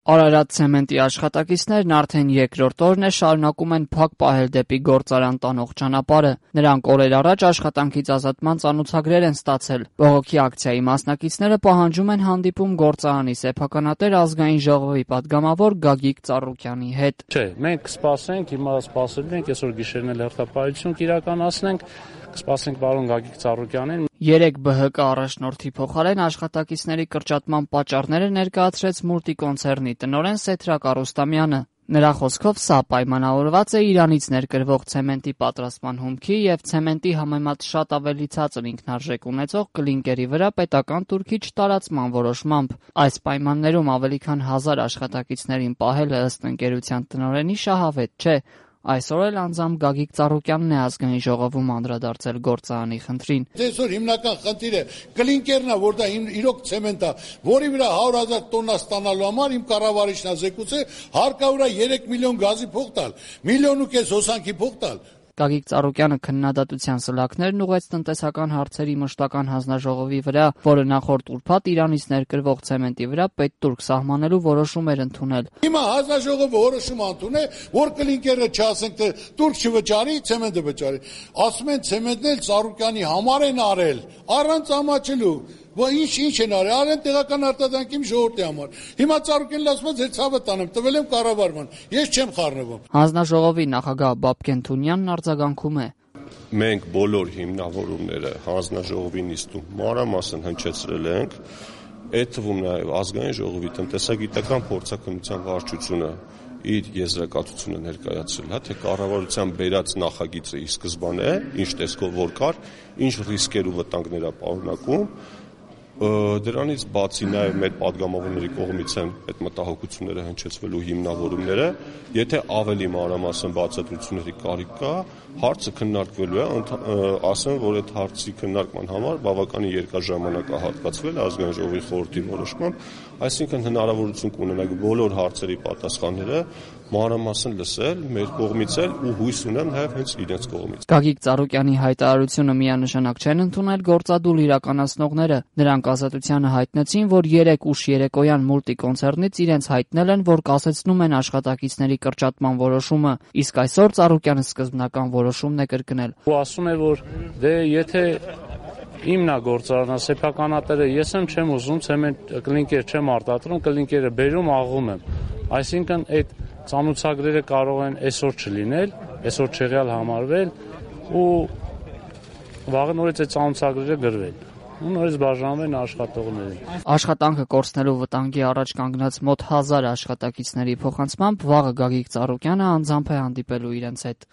Արարատ ցեմենտի աշխատակիցներն արդեն երկրորդ օրն է շարունակում են փակ պահել դեպի գործարան տանող ճանապարհը։ Նրանք օրեր առաջ աշխատանքից ազատման ծանոթագրեր են ստացել։ Բողոքի ակցիայի մասնակիցները պահանջում են հանդիպում գործարանի սեփականատեր ազգային ժողովի падգամավոր Գագիկ Ծառուկյանի հետ։ Չէ, մենք կսպասենք, հիմա սպասելու ենք, այսօր գիշերն էլ հերթապահություն կիրականացնենք, կսպասենք պարոն Գագիկ Ծառուկյանին։ 3 ԲՀԿ առաջնորդի փոխարեն աշխատակիցների կրճատման պատճառները ներկայացրեց մուլտիկոնցեռնի տնօրեն Սեդրակ Արուստամյանը։ Նրա խոսքով սա պայմանավորված է Իրանից ներկրվող ցեմենտի պատրաստման հումքի եւ ցեմենտի համեմատ շատ ավելի ցածր ինքնարժեք ունեցող կլինկերի վրա պետական տուրքի չտարածման որոշմամբ։ Այս պայմաններում ավելի քան 1000 աշխատակիցներին պահելը ըստ ընկերության տնօրենի շահավետ չէ։ Այսօր էլ անձամբ Գագիկ Ծառուկյանն է ազգային ժողովում անդրադարձել գործարանի խնդրին։ Այսօր հիմնական խնդիրը կլինկերն է, որ դա իրոք ցեմենտ է, որի վրա 100,000 տոննա ստանալու համար իմ կառավարիչն է զեկուցել, հարկավոր է 3 միլիոն գազի փող տալ, 1,5 միլիոն հոսանքի փող տալ։ Գագիկ Ծառուկյանը քննադատության սլաքներն ուղղեց տնտեսական հարցերի մշտական հանձնաժողովի վրա, որը նախորդ ուրբաթ Իրանից ներկրվող ցեմենտի վրա պետտուրք սահմանելու որոշում էր ընդունել։ Հիմա հանձնաժողովը որոշում ընդունել, որ կլինկերը չասենք թե տուրք չվճարի, ցեմենտը վճարի։ Ասում են ցեմենտն էլ Ծառուկյանի համար են արել, առանց ամաչելու։ Ինչ են արել, արեն տեղական արտադրանքի ժողովրդի համար։ Հիմա Ծառուկյանն ասում է, ձեր ցավը տանեմ, տվել եմ կառավարման։ Ես չեմ խառնվում։ Հանձնաժողովի նախագահ Բաբկեն Թունյանն արձագանքում է։ Մենք բոլոր հիմնավորումները հանձնաժողովի նիստում մանրամասն հնչեցրել ենք, այդ թվում նաև ազգային ժողովի տնտեսագիտական փորձաքննության վարչությունը իր եզրակացությունը ներկայացրել, թե կառավարության բերած նախագիծը ի սկզբանե, ինչ տեսքով որ կար, ինչ ռիսկեր ու վտանգներ է պարունակում։ Դրանից բացի նաև մեր падգամավորների կողմից են այդ մտահոգությունները հնչեցվելու հիմնավորումները, եթե ավելի մանրամասն բացատրությունների կարիք կա, հարցը քննարկվելու է, ասեմ, որ այդ հարցի քննարկման համար բավականին երկար ժամանակ է հատկացվել ազգային ժողովի խորհրդի որոշմամբ, այսինքն հնարավորություն կունենանք բոլոր հարցերի պատասխանները մանրամասն լսել մեր կողմից էլ ու հույս ունեմ նաև հենց իրենց կողմից։ Գագիկ Ծառուկյանի հայտարարությունը միանշանակ չեն ընդունել գործադուլ իրականացնողները։ Նրանք ազատությանը հայտնեցին, որ 3 ուշ երեկոյան մուլտիկոնցեռնից իրենց հայտնել են, որ կասեցնում են աշխատակիցների կրճատման որոշումը, իսկ այսօր Ծառուկյանը սկզբնական որոշումն է կրկնել։ Ու ասում է, որ դե եթե իմն է գործարանը, սեփականատերը ես եմ չեմ ուզում, ցեմենտ կլինկեր չեմ արտադրում, կլինկերը բերում աղում եմ։ Այսինքն այդ ծանոթագրերը կարող են այսօր չլինել, այսօր չեղյալ համարվել ու վաղը նորից այդ ծանոթագրերը գրվել։ Ու նորից բաժանվել աշխատողներին։ Աշխատանքը կորցնելու վտանգի առաջ կանգնած մոտ 1000 աշխատակիցների փոխանցմամբ վաղը Գագիկ Ծառուկյանը անձամբ է հանդիպելու իրենց հետ։